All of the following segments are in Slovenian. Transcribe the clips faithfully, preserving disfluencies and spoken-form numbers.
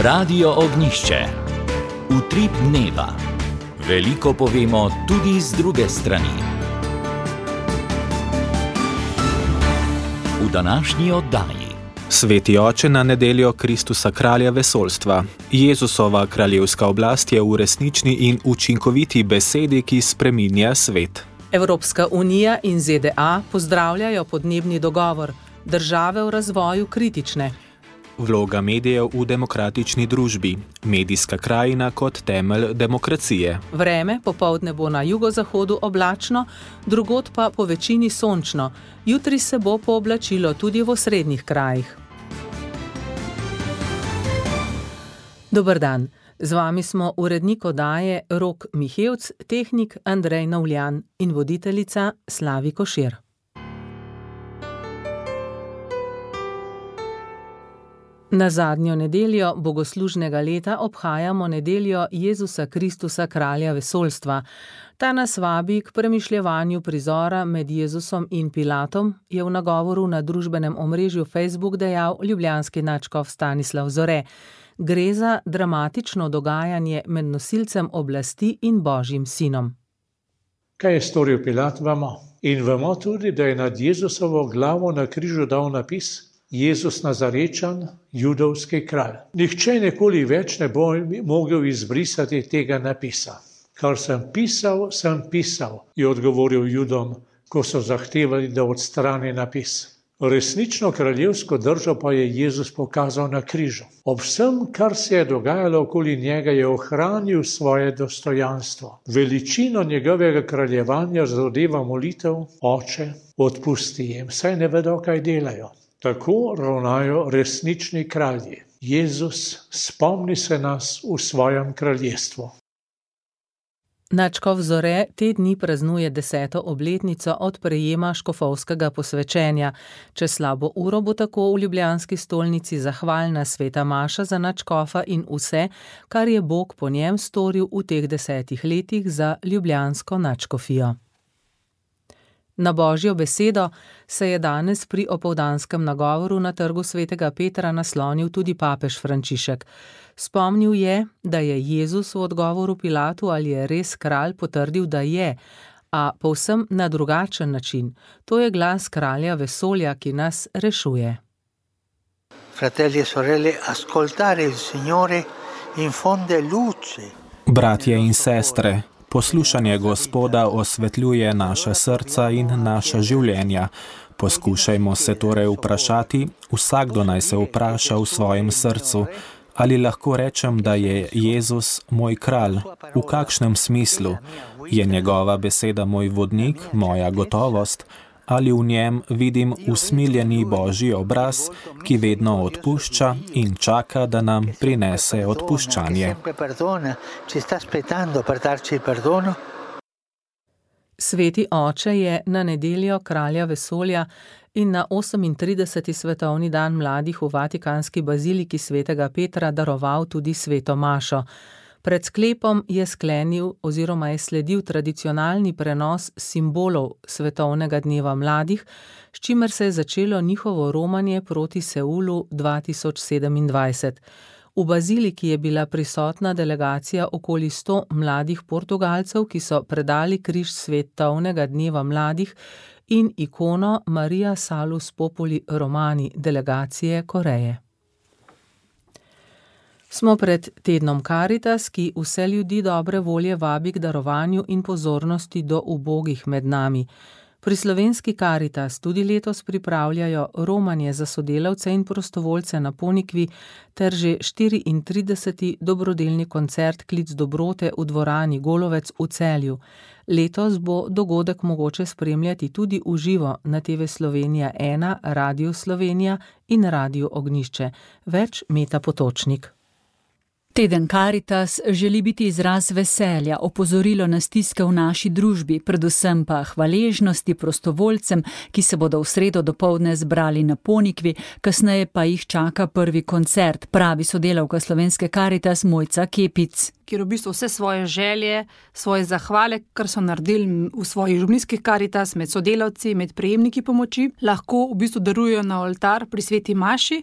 Radio Ognišče. Utrip dneva. Veliko povemo tudi z druge strani. V današnji oddaji. Sveti oče na nedeljo Kristusa kralja vesoljstva. Jezusova kraljevska oblast je v resnični in učinkoviti besedi, ki spreminja svet. Evropska unija in Z D A pozdravljajo podnebni dogovor, države v razvoju kritične. Vloga medijev v demokratični družbi, medijska krajina kot temelj demokracije. Vreme popoldne bo na jugozahodu oblačno, drugod pa po večini sončno. Jutri se bo pooblačilo tudi v osrednjih krajih. Dober dan, z vami smo urednik oddaje Rok Mihevc, tehnik Andrej Navljan in voditeljica Slavi Košir. Na zadnjo nedeljo bogoslužnega leta obhajamo nedeljo Jezusa Kristusa kralja vesoljstva. Ta nas vabi k premišljevanju prizora med Jezusom in Pilatom, je v nagovoru na družbenem omrežju Facebook dejal ljubljanski nadškof Stanislav Zore. Gre za dramatično dogajanje med nosilcem oblasti in Božjim sinom. Kaj je storil Pilat, vemo? In vemo tudi, da je nad Jezusovo glavo na križu dal napis Jezus Nazarečan, judovski kralj. Nihče nikoli več ne bo mogel izbrisati tega napisa. Kar sem pisal, sem pisal, je odgovoril Judom, ko so zahtevali, da odstrani napis. Resnično kraljevsko držo pa je Jezus pokazal na križu. Ob vsem, kar se je dogajalo okoli njega, je ohranil svoje dostojanstvo. Veličino njegovega kraljevanja zadeva molitev, Oče, odpusti jim, saj ne vedo, kaj delajo. Tako ravnajo resnični kralji. Jezus, spomni se nas v svojem kraljestvu. Nadškof Zore te dni praznuje deseto obletnico od prejema škofovskega posvečenja. Čez slabo uro bo tako v ljubljanski stolnici zahvalna sveta maša za nadškofa in vse, kar je Bog po njem storil v teh desetih letih za ljubljansko nadškofijo. Na Božjo besedo se je danes pri opoldanskem nagovoru na trgu svetega Petra naslonil tudi papež Frančišek. Spomnil je, da je Jezus v odgovoru Pilatu, ali je res kralj, potrdil, da je, a povsem na drugačen način. To je glas kralja vesolja, ki nas rešuje. Fratelli e sorelle, ascoltare il Signore infonde luce. Bratje in sestre, poslušanje Gospoda osvetljuje naša srca in naša življenja. Poskušajmo se torej vprašati, vsakdo naj se vpraša v svojem srcu, ali lahko rečem, da je Jezus moj kralj, v kakšnem smislu? Je njegova beseda moj vodnik, moja gotovost, ali v njem vidim usmiljeni Božji obraz, ki vedno odpušča in čaka, da nam prinese odpuščanje. Sveti oče je na nedeljo kralja vesolja in na osemintrideseti svetovni dan mladih v Vatikanski baziliki svetega Petra daroval tudi sveto mašo. Pred sklepom je sklenil oziroma je sledil tradicionalni prenos simbolov svetovnega dneva mladih, s čimer se je začelo njihovo romanje proti Seulu dva tisoč sedemindvajset. V baziliki je bila prisotna delegacija okoli sto mladih Portugalcev, ki so predali križ svetovnega dneva mladih in ikono Maria Salus Populi Romani delegacije Koreje. Smo pred tednom Karitas, ki vse ljudi dobre volje vabi k darovanju in pozornosti do ubogih med nami. Pri slovenski Karitas tudi letos pripravljajo romanje za sodelavce in prostovoljce na Ponikvi ter že štiriintrideseti dobrodelni koncert Klic dobrote v dvorani Golovec v Celju. Letos bo dogodek mogoče spremljati tudi v živo na T V Slovenija ena, Radio Slovenija in Radio Ognišče. Več Meta Potočnik. Teden Karitas želi biti izraz veselja, opozorilo na stiske v naši družbi, predvsem pa hvaležnosti prostovoljcem, ki se bodo v sredo dopoldne zbrali na Ponikvi, kasneje pa jih čaka prvi koncert, pravi sodelavka slovenske Karitas Mojca Kepic. Kjer v bistvu vse svoje želje, svoje zahvale, kar so naredili v svojih župnijskih Karitas, med sodelavci, med prejemniki pomoči, lahko v bistvu darujejo na oltar pri sveti maši.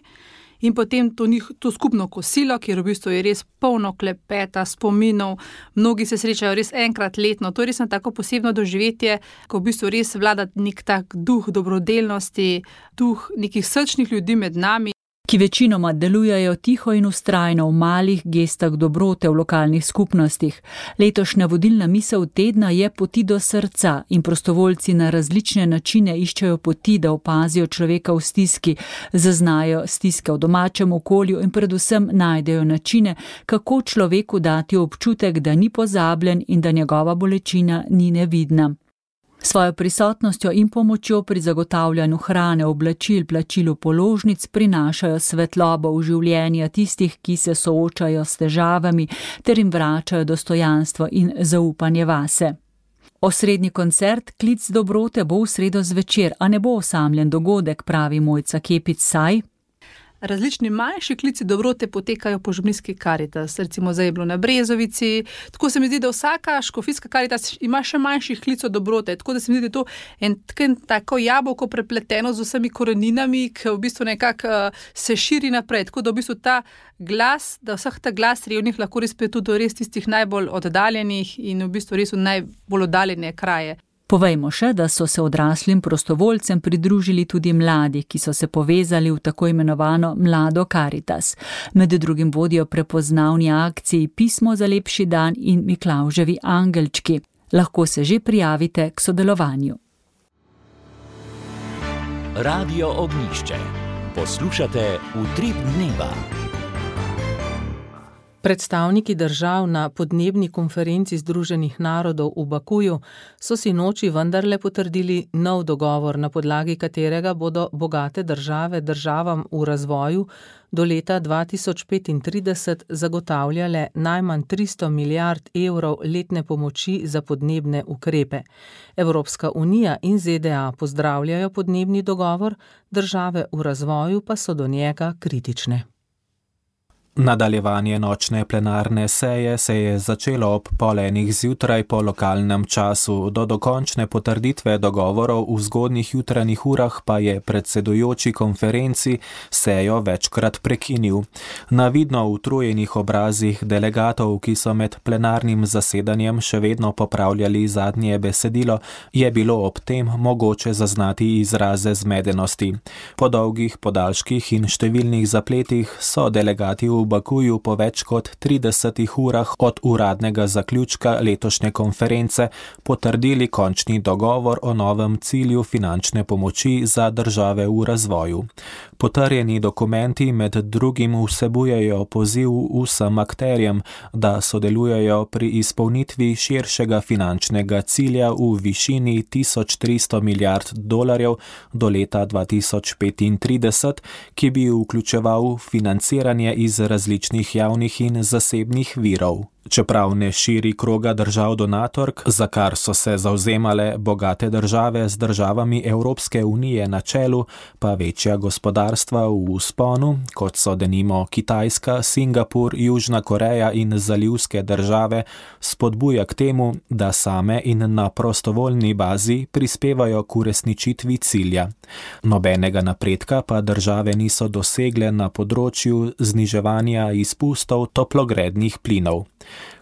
in potem to, njih, to skupno kosilo, kjer v bistvu je res polno klepeta, spominov, mnogi se srečajo res enkrat letno. To je res tako posebno doživetje, ko v bistvu res vlada nek tak duh dobrodelnosti, duh nekih srčnih ljudi med nami, ki večinoma delujejo tiho in vztrajno v malih gestah dobrote v lokalnih skupnostih. Letošnja vodilna misel tedna je Poti do srca in prostovoljci na različne načine iščejo poti, da opazijo človeka v stiski, zaznajo stiske v domačem okolju in predvsem najdejo načine, kako človeku dati občutek, da ni pozabljen in da njegova bolečina ni nevidna. Svojo prisotnostjo in pomočjo pri zagotavljanju hrane, oblačil, plačilu položnic prinašajo svetlobo v življenja tistih, ki se soočajo s težavami, ter jim vračajo dostojanstvo in zaupanje vase. Osrednji koncert Klic dobrote bo v sredo zvečer, a ne bo osamljen dogodek, pravi Mojca Kepic, saj različni manjši klici dobrote potekajo po župnijski Karitas, recimo zdaj je bilo na Brezovici, tako se mi zdi, da vsaka škofijska Karitas ima še manjših klicov dobrote, tako da se mi zdi, da je to en tako jabolko prepleteno z vsemi koreninami, ki v bistvu nekako uh, se širi naprej, tako da v bistvu ta glas, da vseh ta glas revnih lahko res pride tudi do res tistih najbolj oddaljenih in v bistvu res v najbolj oddaljene kraje. Povejmo še, da so se odraslim prostovoljcem pridružili tudi mladi, ki so se povezali v tako imenovano Mlado Karitas. Med drugim vodijo prepoznavni akciji Pismo za lepši dan in Miklavževi angelčki. Lahko se že prijavite k sodelovanju. Radio Ognjišče. Poslušate Utrip dneva. Predstavniki držav na podnebni konferenci Združenih narodov v Bakuju so si noči vendarle potrdili nov dogovor, na podlagi katerega bodo bogate države državam v razvoju do leta dva tisoč petintrideset zagotavljale najmanj tristo milijard evrov letne pomoči za podnebne ukrepe. Evropska unija in Z D A pozdravljajo podnebni dogovor, države v razvoju pa so do njega kritične. Nadaljevanje nočne plenarne seje se je začelo ob pol enih zjutraj po lokalnem času. Do dokončne potrditve dogovorov v zgodnjih jutranjih urah pa je predsedujoči konferenci sejo večkrat prekinil. Na vidno utrujenih obrazih delegatov, ki so med plenarnim zasedanjem še vedno popravljali zadnje besedilo, je bilo ob tem mogoče zaznati izraze zmedenosti. Po dolgih podaljških in številnih zapletih so delegati v Bakuju po več kot tridesetih urah od uradnega zaključka letošnje konference potrdili končni dogovor o novem cilju finančne pomoči za države v razvoju. Potrjeni dokumenti med drugim vsebujejo poziv vsem akterjem, da sodelujejo pri izpolnitvi širšega finančnega cilja v višini tisoč tristo milijard dolarjev do leta dva tisoč petintrideset, ki bi vključeval financiranje iz različnih javnih in zasebnih virov. Čeprav ne širi kroga držav donatork, za kar so se zavzemale bogate države z državami Evropske unije na čelu, pa večja gospodarstva v vzponu, kot so denimo Kitajska, Singapur, Južna Koreja in zalivske države, spodbuja k temu, da same in na prostovoljni bazi prispevajo k uresničitvi cilja. Nobenega napredka pa države niso dosegle na področju zniževanja izpustov toplogrednih plinov.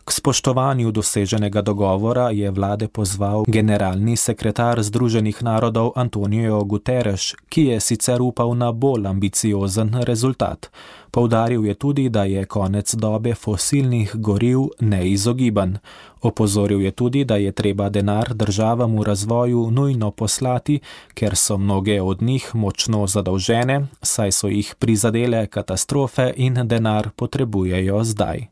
K spoštovanju doseženega dogovora je vlade pozval generalni sekretar Združenih narodov Antonio Guterres, ki je sicer upal na bolj ambiciozen rezultat. Poudaril je tudi, da je konec dobe fosilnih goriv neizogiben. Opozoril je tudi, da je treba denar državam v razvoju nujno poslati, ker so mnoge od njih močno zadolžene, saj so jih prizadele katastrofe in denar potrebujejo zdaj.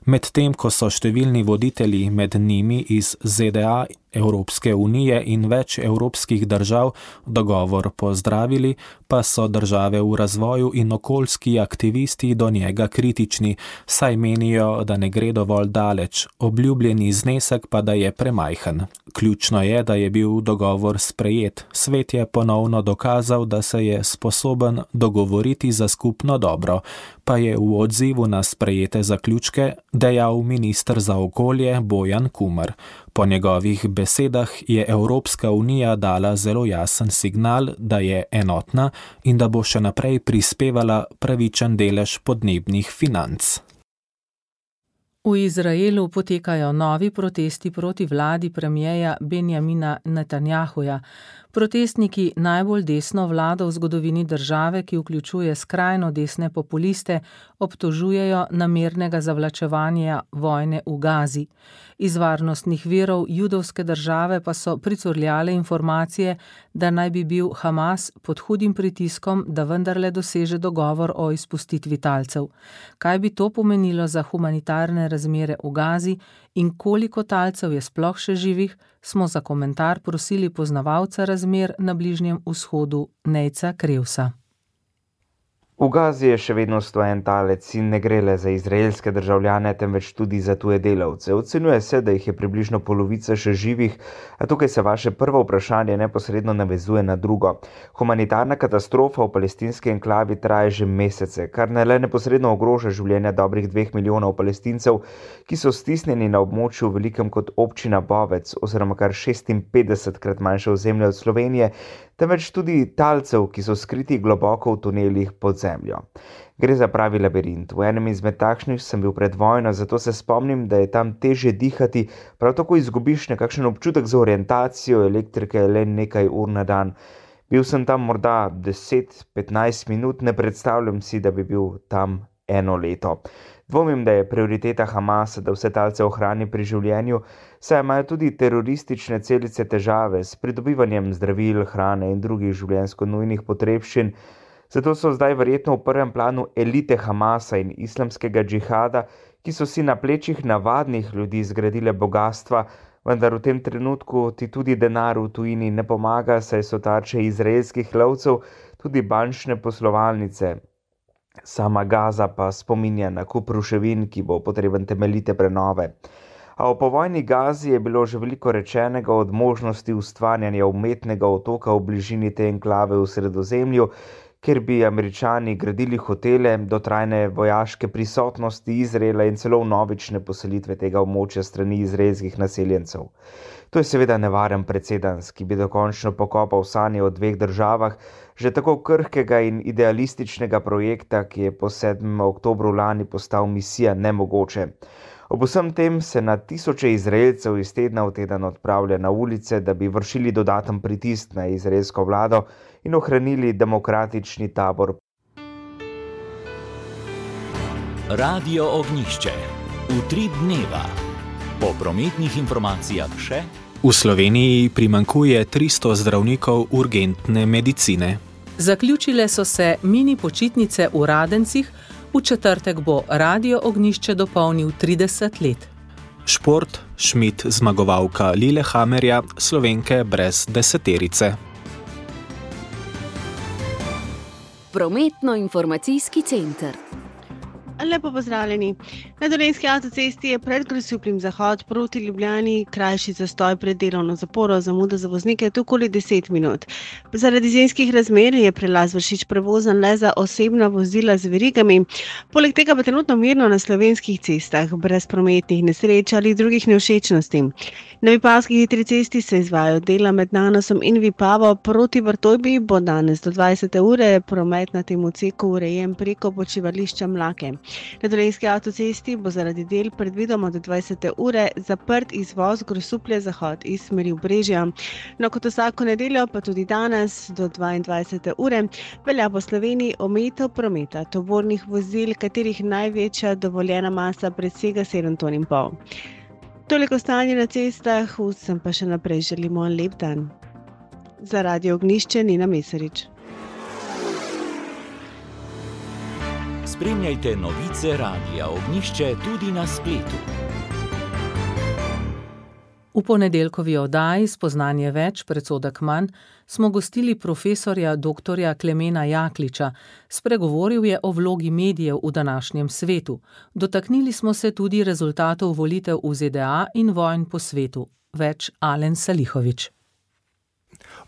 Medtem ko so številni voditelji, med njimi iz Z D A, Evropske unije in več evropskih držav, dogovor pozdravili, pa so države v razvoju in okoljski aktivisti do njega kritični, saj menijo, da ne gre dovolj daleč, obljubljeni znesek pa da je premajhen. Ključno je, da je bil dogovor sprejet. Svet je ponovno dokazal, da se je sposoben dogovoriti za skupno dobro, pa je v odzivu na sprejete zaključke dejal minister za okolje Bojan Kumer. Po njegovih besedah je Evropska unija dala zelo jasen signal, da je enotna in da bo še naprej prispevala pravičen delež podnebnih financ. V Izraelu potekajo novi protesti proti vladi premijeja Benjamina Netanjahuja. Protestniki najbolj desno vlado v zgodovini države, ki vključuje skrajno desne populiste, obtožujejo namernega zavlačevanja vojne v Gazi. Iz varnostnih virov judovske države pa so pricurljale informacije, da naj bi bil Hamas pod hudim pritiskom, da vendarle doseže dogovor o izpustitvi talcev. Kaj bi to pomenilo za humanitarne razmere v Gazi in koliko talcev je sploh še živih, smo za komentar prosili poznavalca razmer na Bližnjem vzhodu Nejca Krevsa. V Gazi je še vedno stojen talec in ne gre le za izraelske državljane, temveč tudi za tuje delavce. Ocenjuje se, da jih je približno polovica še živih, a tukaj se vaše prvo vprašanje neposredno navezuje na drugo. Humanitarna katastrofa v palestinski enklavi traja že mesece, kar ne le neposredno ogroža življenja dobrih dveh milijonov Palestincev, ki so stisnjeni na območju velikem kot občina Bovec, oziroma kar šestinpetdesetkrat manjše ozemlje od Slovenije, temveč tudi talcev, ki so skriti globoko v tunelih pod zemljo. Gre za pravi labirint. V enem izmed takšnih sem bil pred vojno, zato se spomnim, da je tam težje dihati, prav tako izgubiš nekakšen občutek za orientacijo, elektrike le nekaj ur na dan. Bil sem tam morda deset petnajst minut, ne predstavljam si, da bi bil tam eno leto. Dvomim, da je prioriteta Hamasa, da vse talce ohrani pri življenju, saj imajo tudi teroristične celice težave s pridobivanjem zdravil, hrane in drugih življenjsko nujnih potrebščin. Zato so zdaj verjetno v prvem planu elite Hamasa in islamskega džihada, ki so si na plečih navadnih ljudi zgradile bogatstva, vendar v tem trenutku ti tudi denar v tujini ne pomaga, saj so tarče izraelskih lovcev tudi bančne poslovalnice. Sama Gaza pa spominja na kup ruševin, ki bo potreben temeljite prenove. A o povojni Gazi je bilo že veliko rečenega, od možnosti ustvarjanja umetnega otoka v bližini te enklave v Sredozemlju, kjer bi Američani gradili hotele, do trajne vojaške prisotnosti Izraela in celo vnovične poselitve tega območja strani izraelskih naseljencev. To je seveda nevaren precedens, ki bi dokončno pokopal sanje o dveh državah, že tako krhkega in idealističnega projekta, ki je po sedmem oktobru lani postal misija nemogoče. Ob vsem tem se na tisoče Izraelcev iz tedna v teden odpravlja na ulice, da bi vršili dodaten pritisk na izraelsko vlado in ohranili demokratični tabor. Radio Ognjišče. Utrip dneva. Po prometnih informacijah še. V Sloveniji primanjkuje tristo zdravnikov urgentne medicine. Zaključile so se mini počitnice v Radencih, v četrtek bo Radio Ognjišče dopolnil trideset let. Šport, Schmidt zmagovalka Lillehammerja, Slovenke brez deseterice. Prometno-informacijski center. Lepo pozdravljeni. Na Dolenjski avtocesti je pred Grosupljem zahod proti Ljubljani krajši zastoj pred delovno zaporo, zamuda za voznike tu okoli deset minut. Zaradi zimskih razmer je prelaz Vršič prevozan le za osebna vozila z verigami. Poleg tega pa trenutno mirno na slovenskih cestah, brez prometnih nesreč ali drugih nevšečnosti. Na Vipavski hitri cesti se izvajajo dela med Nanosom in Vipavo. Proti Vrtojbi bo danes do dvajsete ure promet na tem odseku urejen preko počivališča Mlake. Na Dolenjski avtocesti bo zaradi del predvidoma do dvajsete ure zaprt izvoz Grosuplje zahod iz smeri Obrežja. No, kot vsako nedeljo pa tudi danes do dvaindvajsete ure velja po Sloveniji omejitev prometa tovornih vozil, katerih največja dovoljena masa presega sedem ton in pol. Toliko stanje na cestah, vsem pa še naprej želimo lep dan. Za Radio Ognjišče Nina Mesarič. Spremljajte novice Radia Ognjišče tudi na spletu. V ponedeljkovi oddaji Spoznanje več, predsodek manj smo gostili profesorja doktorja Klemena Jakliča. Spregovoril je o vlogi medijev v današnjem svetu. Dotaknili smo se tudi rezultatov volitev v ZDA in vojn po svetu. Več Alen Salihović.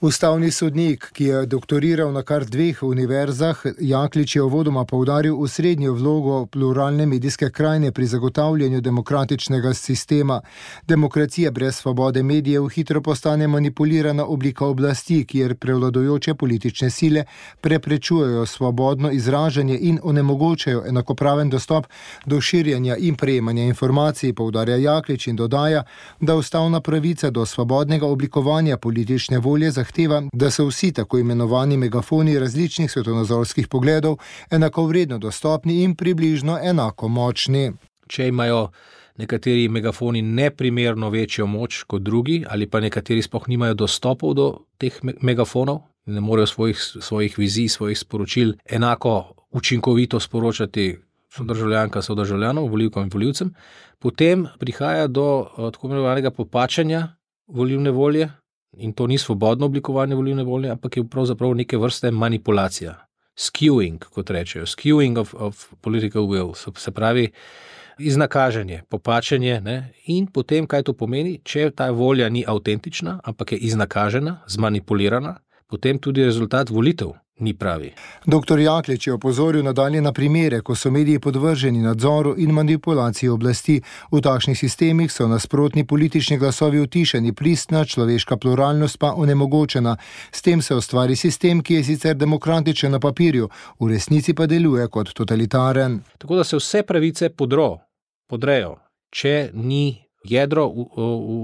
Ustavni sodnik, ki je doktoriral na kar dveh univerzah, Jaklič je uvodoma poudaril osrednjo vlogo pluralne medijske krajine pri zagotavljanju demokratičnega sistema. Demokracija brez svobode medijev hitro postane manipulirana oblika oblasti, kjer prevladujoče politične sile preprečujejo svobodno izražanje in onemogočajo enakopraven dostop do širjenja in prejemanja informacij, poudarja Jaklič in dodaja, da ustavna pravica do svobodnega oblikovanja politične volje zahteva, da so vsi tako imenovani megafoni različnih svetovnozorskih pogledov enakovredno dostopni in približno enako močni. Če imajo nekateri megafoni neprimerno večjo moč kot drugi ali pa nekateri sploh nimajo dostopov do teh megafonov, ne morejo svojih, svojih vizij, svojih sporočil enako učinkovito sporočati sodržavljanka, sodržavljanov, volivkam in volivcem, potem prihaja do tako imenovanega popačanja volilne volje. In to ni svobodno oblikovanje volilne volje, ampak je pravzaprav neke vrste manipulacija. Skewing, kot rečejo. Skewing of, of political will. Se pravi, iznakaženje, popačenje. Ne? In potem, kaj to pomeni, če ta volja ni avtentična, ampak je iznakažena, zmanipulirana, potem tudi rezultat volitev ni pravi. Doktor Jaklič je opozoril nadalje na primere, ko so mediji podvrženi nadzoru in manipulaciji oblasti. V takšnih sistemih so nasprotni politični glasovi utišani, pristna človeška pluralnost pa onemogočena. S tem se ustvari sistem, ki je sicer demokratičen na papirju, v resnici pa deluje kot totalitaren. Tako da se vse pravice podro, podrejo, če ni jedro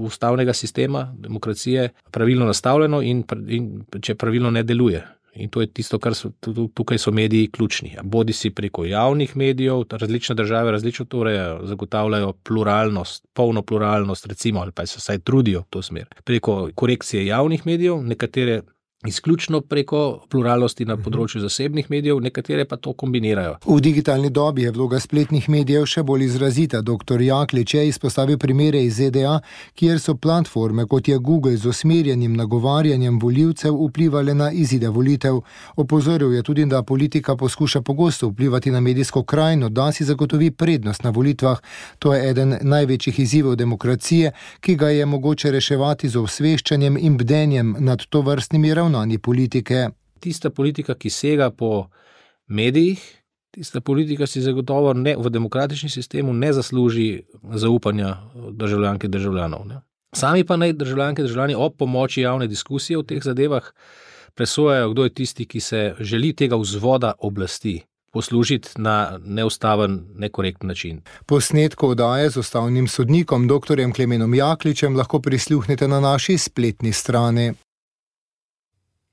ustavnega sistema, demokracije, pravilno nastavljeno in, in če pravilno ne deluje. In to je tisto, kar so, tukaj so mediji ključni. Bodi si preko javnih medijev, različne države različno to urejajo, zagotavljajo pluralnost, polno pluralnost, recimo, ali pa se vsaj trudijo v to smer. Preko korekcije javnih medijev, nekatere izključno preko pluralnosti na področju zasebnih medijev, nekatere pa to kombinirajo. V digitalni dobi je vloga spletnih medijev še bolj izrazita. Doktor Jaklič je izpostavil primere iz Z D A, kjer so platforme, kot je Google, z usmerjenim nagovarjanjem volivcev vplivale na izide volitev. Opozoril je tudi, da politika poskuša pogosto vplivati na medijsko krajino, da si zagotovi prednost na volitvah. To je eden največjih izzivov demokracije, ki ga je mogoče reševati z osveščanjem in bdenjem nad tovrstnimi ravnanji politike. Tista politika, ki sega po medijih, tista politika si zagotovo ne, v demokratičnem sistemu ne zasluži zaupanja državljank in državljanov. Ne. Sami pa naj državljanke in državljani ob pomoči javne diskusije v teh zadevah presojajo, kdo je tisti, ki se želi tega vzvoda oblasti poslužiti na neustaven, nekorekten način. Posnetko oddaje z ustavnim sodnikom doktorjem Klemenom Jakličem lahko prisluhnete na naši spletni strani.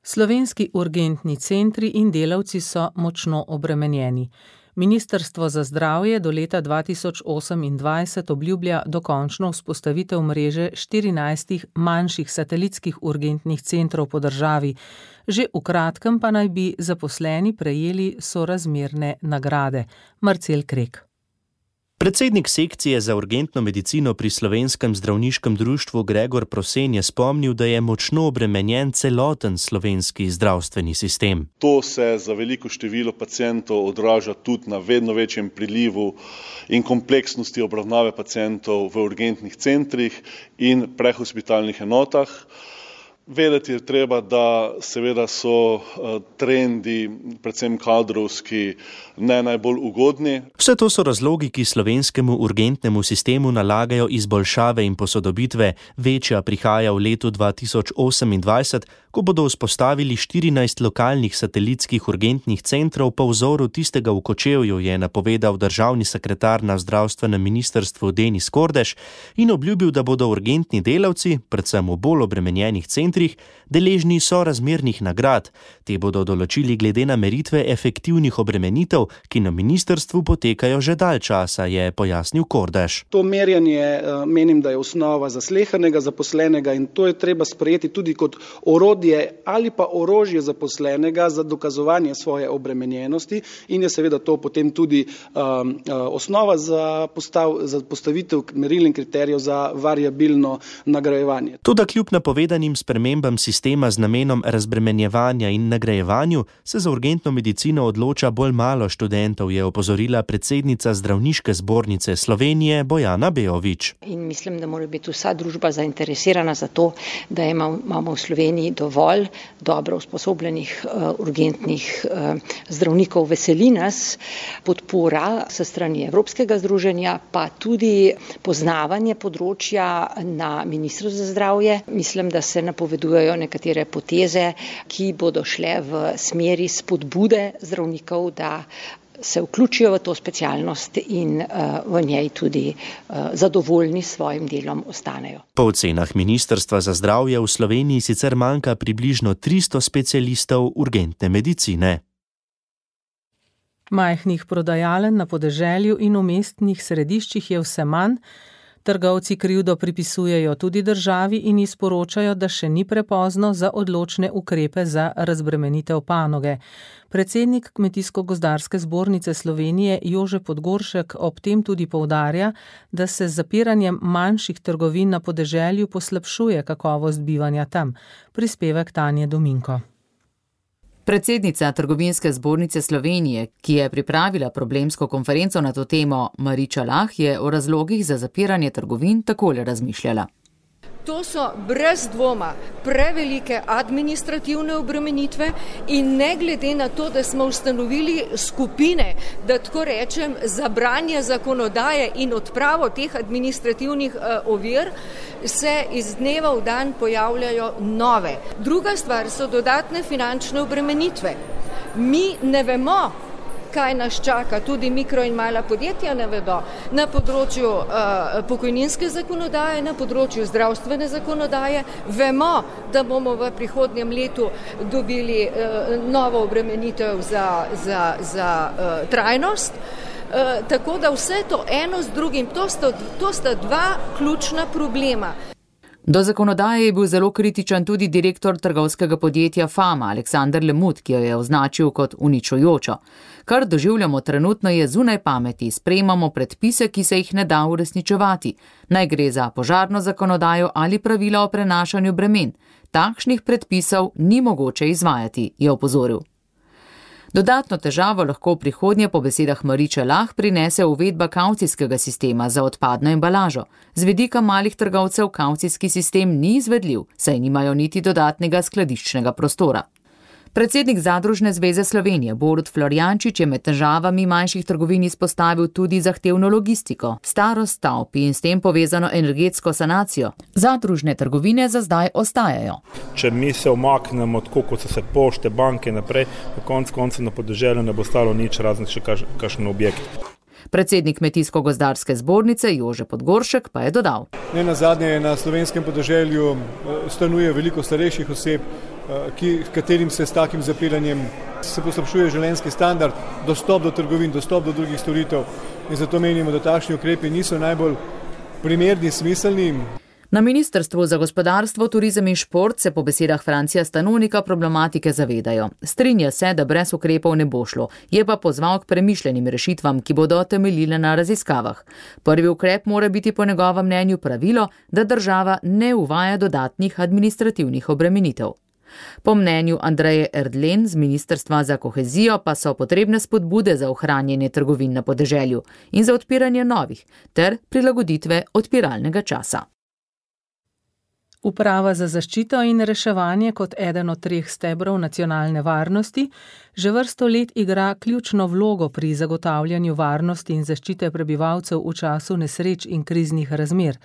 Slovenski urgentni centri in delavci so močno obremenjeni. Ministrstvo za zdravje do leta dva tisoč osemindvajset obljublja dokončno vzpostavitev mreže štirinajstih manjših satelitskih urgentnih centrov po državi. Že v kratkem pa naj bi zaposleni prejeli sorazmerne nagrade. Marcel Krek. Predsednik sekcije za urgentno medicino pri Slovenskem zdravniškem društvu Gregor Prosen je spomnil, da je močno obremenjen celoten slovenski zdravstveni sistem. To se za veliko število pacientov odraža tudi na vedno večjem prilivu in kompleksnosti obravnave pacientov v urgentnih centrih in prehospitalnih enotah. Vedeti je treba, da seveda so trendi, predvsem kadrovski, ne najbolj ugodni. Vse to so razlogi, ki slovenskemu urgentnemu sistemu nalagajo izboljšave in posodobitve. Večja prihaja v letu dva tisoč osemindvajset, ko bodo vzpostavili štirinajst lokalnih satelitskih urgentnih centrov po vzoru tistega v Kočevju, je napovedal državni sekretar na zdravstvenem ministrstvu Denis Kordež in obljubil, da bodo urgentni delavci, predvsem v bolj obremenjenih centrih, deležni sorazmernih nagrad. Te bodo določili glede na meritve efektivnih obremenitev, ki na ministrstvu potekajo že dalj časa, je pojasnil Kordež. To merjanje menim, da je osnova za slehernega zaposlenega in to je treba sprejeti tudi kot orodje ali pa orožje zaposlenega za dokazovanje svoje obremenjenosti in je seveda to potem tudi um, osnova za, postav, za postavitev meril in kriterijev za variabilno nagrajevanje. Toda kljub napovedanim spremembam spremembam sistema z namenom razbremenjevanja in nagrajevanju, se za urgentno medicino odloča bolj malo študentov, je opozorila predsednica Zdravniške zbornice Slovenije Bojana Beović. In mislim, da mora biti vsa družba zainteresirana za to, da imamo v Sloveniji dovolj dobro usposobljenih uh, urgentnih uh, zdravnikov. Veseli nas podpora sa strani Evropskega združenja, pa tudi poznavanje področja na Ministrstvu za zdravje. Mislim, da se napovedujejo nekatere poteze, ki bodo šle v smeri spodbude zdravnikov, da se vključijo v to specialnost in uh, v njej tudi uh, zadovoljni s svojim delom ostanejo. Po ocenah Ministrstva za zdravje v Sloveniji sicer manjka približno tristo specialistov urgentne medicine. Majhnih prodajaln na podeželju in v mestnih središčih je vse manj. Trgovci krivdo pripisujejo tudi državi in izporočajo, da še ni prepozno za odločne ukrepe za razbremenitev panoge. Predsednik Kmetijsko-gozdarske zbornice Slovenije Jože Podgoršek ob tem tudi poudarja, da se z zapiranjem manjših trgovin na podeželju poslabšuje kakovost bivanja tam. Prispevek Tanje Dominko. Predsednica Trgovinske zbornice Slovenije, ki je pripravila problemsko konferenco na to temo, Mariča Lah, je o razlogih za zapiranje trgovin takole razmišljala. To so brez dvoma prevelike administrativne obremenitve in ne glede na to, da smo ustanovili skupine, da tako rečem, za branje zakonodaje in odpravo teh administrativnih uh, ovir, se iz dneva v dan pojavljajo nove. Druga stvar so dodatne finančne obremenitve. Mi ne vemo, kaj nas čaka, tudi mikro in mala podjetja ne vedo, na področju uh, pokojninske zakonodaje, na področju zdravstvene zakonodaje. Vemo, da bomo v prihodnjem letu dobili uh, novo obremenitev za, za, za uh, trajnost. Uh, tako da vse to eno z drugim, to sta, to sta dva ključna problema. Do zakonodaje je bil zelo kritičen tudi direktor trgovskega podjetja Fama, Aleksander Lemut, ki jo je označil kot uničujočo. Kar doživljamo trenutno je zunaj pameti, sprejemamo predpise, ki se jih ne da uresničevati. Naj gre za požarno zakonodajo ali pravila o prenašanju bremen. Takšnih predpisov ni mogoče izvajati, je opozoril. Dodatno težavo lahko v prihodnje po besedah Mariče Lah prinese uvedba kavcijskega sistema za odpadno embalažo. Z vidika malih trgovcev kavcijski sistem ni izvedljiv, saj nimajo niti dodatnega skladiščnega prostora. Predsednik Zadružne zveze Slovenije Borut Florjančič je med težavami manjših trgovin izpostavil tudi zahtevno logistiko, starost stavb in s tem povezano energetsko sanacijo. Zadružne trgovine za zdaj ostajajo. Če mi se omaknemo tako, kot so se pošte, banke naprej, na koncu konca na podeželju ne bo stalo nič, razen še kakšen objekt. Predsednik Kmetijsko-gozdarske zbornice Jože Podgoršek pa je dodal. Ne nazadnje na slovenskem podeželju stanuje veliko starejših oseb, ki, katerim se s takim zapiranjem se poslabšuje življenjski standard, dostop do trgovin, dostop do drugih storitev in zato menimo, da takšni ukrepi niso najbolj primerni, smiselni. Na Ministrstvu za gospodarstvo, turizem in šport se po besedah Francija Stanonika problematike zavedajo. Strinja se, da brez ukrepov ne bo šlo, je pa pozval k premišljenim rešitvam, ki bodo temeljile na raziskavah. Prvi ukrep mora biti po njegovem mnenju pravilo, da država ne uvaja dodatnih administrativnih obremenitev. Po mnenju Andreje Erdlen z Ministrstva za kohezijo pa so potrebne spodbude za ohranjanje trgovin na podeželju in za odpiranje novih ter prilagoditve odpiralnega časa. Uprava za zaščito in reševanje kot eden od treh stebrov nacionalne varnosti že vrsto let igra ključno vlogo pri zagotavljanju varnosti in zaščite prebivalcev v času nesreč in kriznih razmer.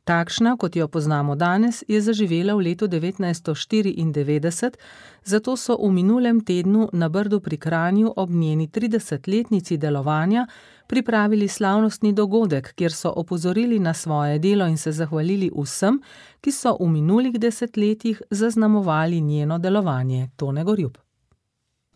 Takšna, kot jo poznamo danes, je zaživela v letu devetnajststo štiriindevetdeset, zato so v minulem tednu na Brdu pri Kranju ob njeni tridesetletnici delovanja pripravili slavnostni dogodek, kjer so opozorili na svoje delo in se zahvalili vsem, ki so v minulih desetletjih zaznamovali njeno delovanje. Tone Gorjup.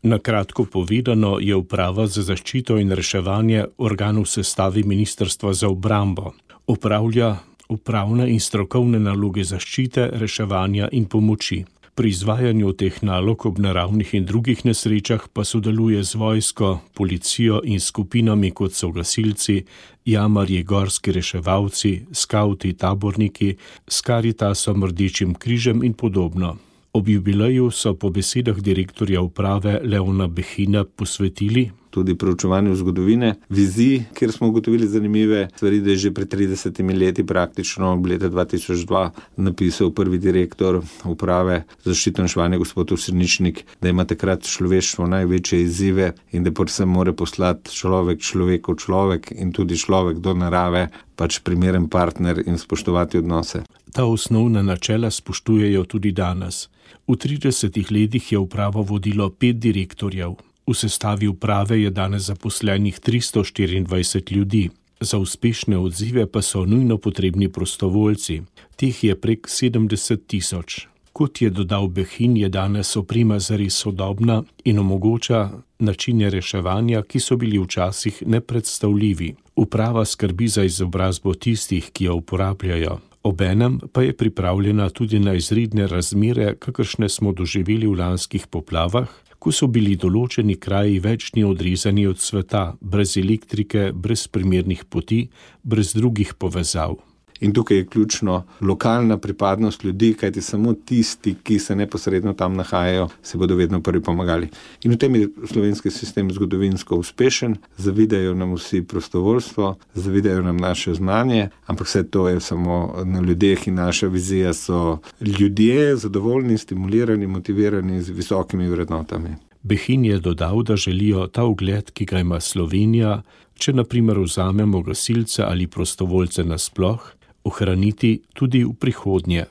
Na kratko povedano je Uprava za zaščito in reševanje organ v sestavi Ministrstva za obrambo. Upravlja upravne in strokovne naloge zaščite, reševanja in pomoči. Pri izvajanju teh nalog ob naravnih in drugih nesrečah pa sodeluje z vojsko, policijo in skupinami kot so gasilci, jamarji, gorski reševalci, skavti, taborniki, s Karitasom, Rdečim križem in podobno. Ob jubileju so po besedah direktorja uprave Leona Behina posvetili tudi proučevanju zgodovine, vizij, kjer smo ugotovili zanimive stvari, da je že pred tridesetimi leti praktično v leta dva tisoč dva napisal prvi direktor uprave za zaščito in reševanje gospod Osrničnik, da ima takrat človeštvo največje izzive in da predvsem mora poslati človek človeku človek in tudi človek do narave, pač primeren partner in spoštovati odnose. Ta osnovna načela spoštujejo tudi danes. V tridesetih letih je upravo vodilo pet direktorjev. V sestavi uprave je danes zaposlenih tristo štiriindvajset ljudi. Za uspešne odzive pa so nujno potrebni prostovoljci. Teh je prek sedemdeset tisoč. Kot je dodal Behin, je danes oprema zares sodobna in omogoča načine reševanja, ki so bili včasih nepredstavljivi. Uprava skrbi za izobrazbo tistih, ki jo uporabljajo. Obenem pa je pripravljena tudi na izredne razmere, kakršne smo doživeli v lanskih poplavah, ko so bili določeni kraji več dni odrezani od sveta, brez elektrike, brez primernih poti, brez drugih povezav. In tukaj je ključno lokalna pripadnost ljudi, kajti samo tisti, ki se neposredno tam nahajajo, se bodo vedno prvi pomagali. In v tem je slovenski sistem zgodovinsko uspešen, zavidajo nam vsi prostovoljstvo, zavidajo nam naše znanje, ampak vse to je samo na ljudeh in naša vizija so ljudje zadovoljni, stimulirani, motivirani z visokimi vrednotami. Behin je dodal, da želijo ta ugled, ki ga ima Slovenija, če na primer vzamemo gasilce ali prostovoljce nasploh, ohraniti tudi v prihodnje.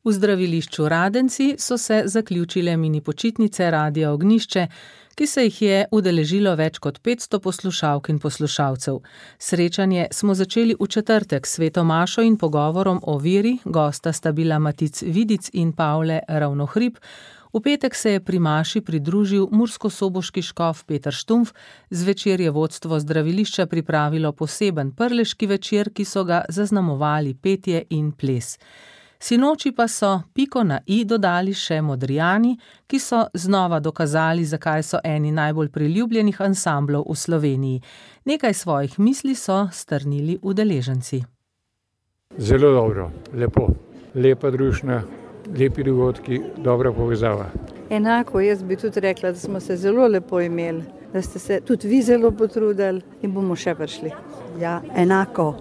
V zdravilišču Radenci so se zaključile mini počitnice Radia Ognjišče, ki se jih je udeležilo več kot petsto poslušalk in poslušalcev. Srečanje smo začeli v četrtek s sveto mašo in pogovorom o veri, gosta sta bila Matic Vidic in Pavle Ravnohrib. V petek se je pri maši pridružil murskosoboški škof Peter Štumpf, zvečer je vodstvo zdravilišča pripravilo poseben prleški večer, ki so ga zaznamovali petje in ples. Sinoči pa so piko na i dodali še Modrijani, ki so znova dokazali, zakaj so eni najbolj priljubljenih ansamblov v Sloveniji. Nekaj svojih misli so strnili udeleženci. Zelo dobro, lepo, lepa družina. Lepi dogodki, dobra povezava. Enako, jaz bi tudi rekla, da smo se zelo lepo imeli, da ste se tudi vi zelo potrudili in bomo še prišli. Ja, enako.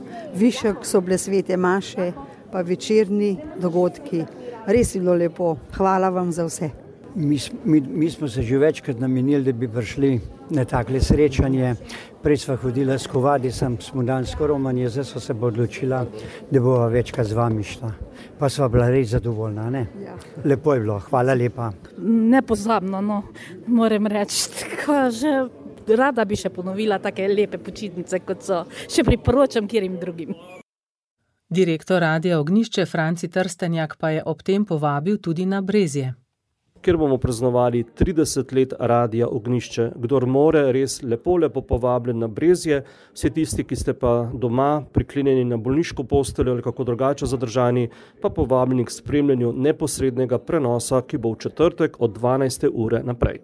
Višek so bile svete maše, pa večerni dogodki. Res je bilo lepo. Hvala vam za vse. Mi, mi, mi smo se že večkrat namenili, da bi prišli na takle srečanje. Prej sva hodila s Kovadicem, smo danes Romanje, zdaj so se bo odločila, da bova večkrat z vami šla. Pa sva bila res zadovoljna, ne? Ja. Lepo je bilo, hvala lepa. Nepozabno, no, moram reči, tako že rada bi še ponovila take lepe počitnice, kot so. Še priporočam kjerim drugim. Direktor Radia Ognjišče Franci Trstenjak pa je ob tem povabil tudi na Brezje. Kjer bomo praznovali trideset let Radia Ognjišče. Kdor more, res lepo, lepo povabljen na Brezje. Vsi tisti, ki ste pa doma, priklenjeni na bolniško posteljo ali kako drugače zadržani, pa povabljeni k spremljanju neposrednega prenosa, ki bo v četrtek od dvanajste ure naprej.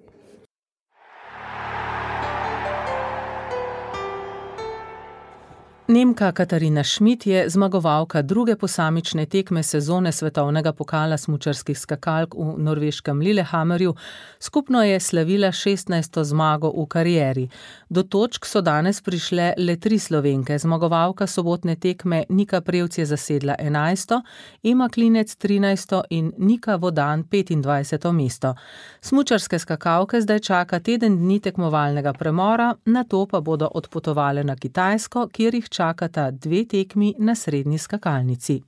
Nemka Katarina Schmidt je zmagovalka druge posamične tekme sezone svetovnega pokala smučarskih skakalk v norveškem Lillehammerju. Skupno je slavila šestnajsto zmago v karieri. Do točk so danes prišle le tri Slovenke. Zmagovalka sobotne tekme Nika Prevc je zasedla enajsto, Ema Klinec trinajsto in Nika Vodan petindvajseto mesto. Smučarske skakalke zdaj čaka teden dni tekmovalnega premora, nato pa bodo odpotovale na Kitajsko, kjer jih čakata dve tekmi na srednji skakalnici.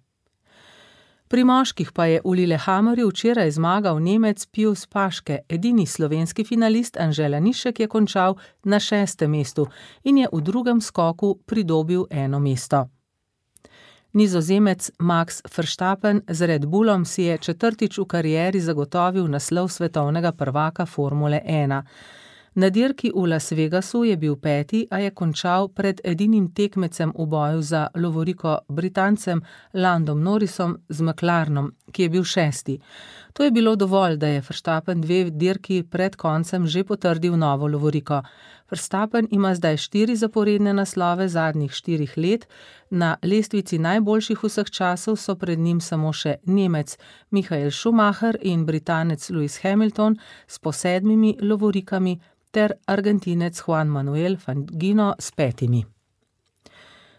Pri moških pa je v Lillehammerju včeraj zmagal Nemec Pius Paške, edini slovenski finalist Anže Lanišek je končal na šestem mestu in je v drugem skoku pridobil eno mesto. Nizozemec Max Verstappen z Red Bullom si je četrtič v karieri zagotovil naslov svetovnega prvaka Formule ena. Na dirki v Las Vegasu je bil peti, a je končal pred edinim tekmecem v boju za lovoriko Britancem Landom Norrisom z McLarenom, ki je bil šesti. To je bilo dovolj, da je Verstappen dve dirki pred koncem že potrdil novo lovoriko. Verstappen ima zdaj štiri zaporedne naslove zadnjih štirih let, na lestvici najboljših vseh časov so pred njim samo še Nemec Michael Schumacher in Britanec Lewis Hamilton s po sedmimi lovorikami ter Argentinec Juan Manuel Fangino s petimi.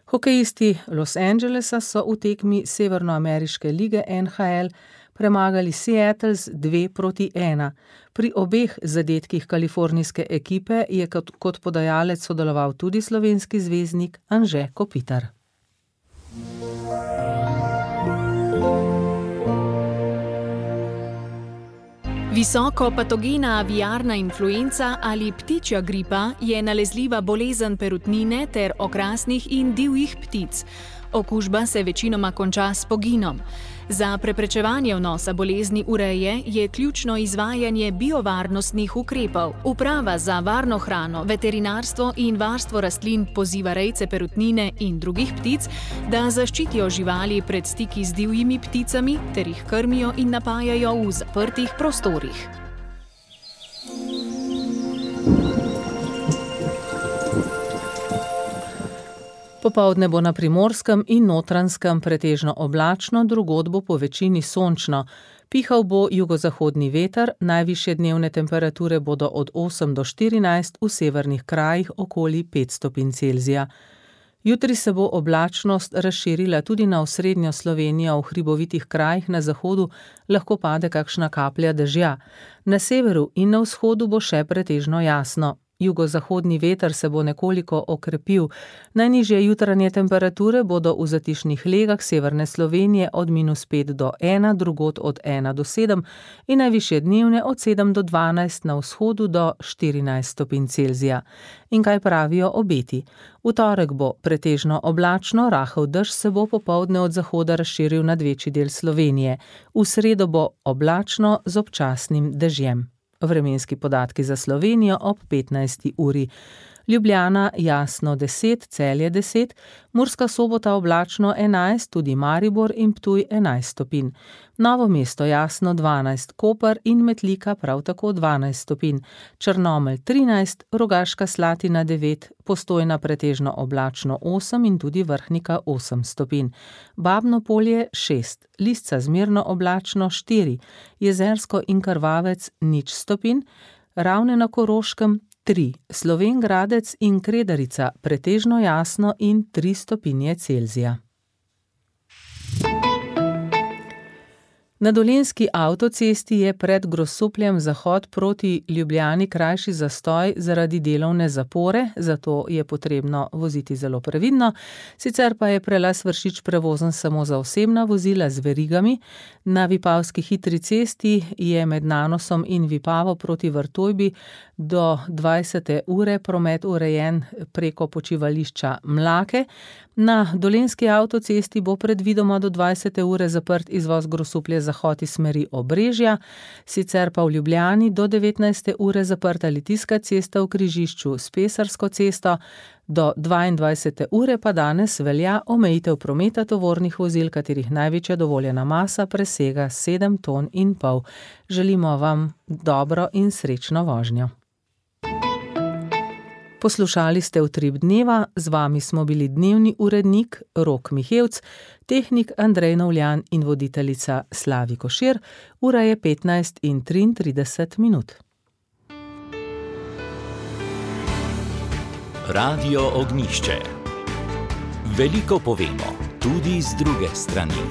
Hokejisti Los Angelesa so v tekmi Severnoameriške lige N H L premagali Seattle z dve proti ena. Pri obeh zadetkih kalifornijske ekipe je kot, kot podajalec sodeloval tudi slovenski zvezdnik Anže Kopitar. Visoko patogena aviarna influenca ali ptičja gripa je nalezljiva bolezen perutnine ter okrasnih in divjih ptic. Okužba se večinoma konča s poginom. Za preprečevanje vnosa bolezni v reje je ključno izvajanje biovarnostnih ukrepov. Uprava za varno hrano, veterinarstvo in varstvo rastlin poziva rejce perutnine in drugih ptic, da zaščitijo živali pred stiki z divjimi pticami ter jih krmijo in napajajo v zaprtih prostorih. Popoldne bo na Primorskem in Notranjskem pretežno oblačno, drugod bo po večini sončno. Pihal bo jugozahodni veter, najvišje dnevne temperature bodo od osem do štirinajst, v severnih krajih okoli pet stopinj Celzija. Jutri se bo oblačnost razširila tudi na osrednjo Slovenijo, v hribovitih krajih na zahodu lahko pade kakšna kaplja dežja. Na severu in na vzhodu bo še pretežno jasno. Jugozahodni veter se bo nekoliko okrepil. Najnižje jutranje temperature bodo v zatišnih legah severne Slovenije od minus pet do ena, drugod od ena do sedem in najvišje dnevne od sedem do dvanajst, na vzhodu do štirinajst stopinj Celzija. In kaj pravijo obeti? V torek bo pretežno oblačno, rahel dež se bo popoldne od zahoda razširil nad večji del Slovenije. V sredo bo oblačno z občasnim dežjem. Vremenski podatki za Slovenijo ob petnajsti uri. Ljubljana jasno deset, Celje deset, Murska Sobota oblačno enajst, tudi Maribor in Ptuj enajst stopinj. Novo mesto jasno dvanajst, Koper in Metlika prav tako dvanajst stopinj, Črnomelj trinajst, Rogaška Slatina devet, Postojna pretežno oblačno osem in tudi Vrhnika osem stopinj. Babno Polje šest, Lisca zmerno oblačno štiri, Jezersko in Krvavec nič stopinj, Ravne na Koroškem tri, Slovenj Gradec in Kredarica pretežno jasno in tri stopinje Celzija. Na Dolenjski avtocesti je pred Grosupljem zahod proti Ljubljani krajši zastoj zaradi delovne zapore, zato je potrebno voziti zelo previdno. Sicer pa je prelaz Vršič prevozen samo za osebna vozila z verigami. Na Vipavski hitri cesti je med Nanosom in Vipavo proti Vrtojbi do dvajsete ure promet urejen preko počivališča Mlake. Na Dolenjski avtocesti bo predvidoma do dvajsete ure zaprt izvoz Grosuplje zahod iz smeri Obrežja, sicer pa v Ljubljani do devetnajste ure zaprta Litijska cesta v križišču s Pesarsko cesto, do dvaindvajsete ure pa danes velja omejitev prometa tovornih vozil, katerih največja dovoljena masa presega sedem ton in pol. Želimo vam dobro in srečno vožnjo. Poslušali ste Utrip dneva, z vami smo bili dnevni urednik Rok Mihevc, tehnik Andrej Novljan in voditeljica Slavi Košir. Ura je petnajst in triintrideset minut. Radio Ognjišče. Veliko povemo, tudi z druge strani.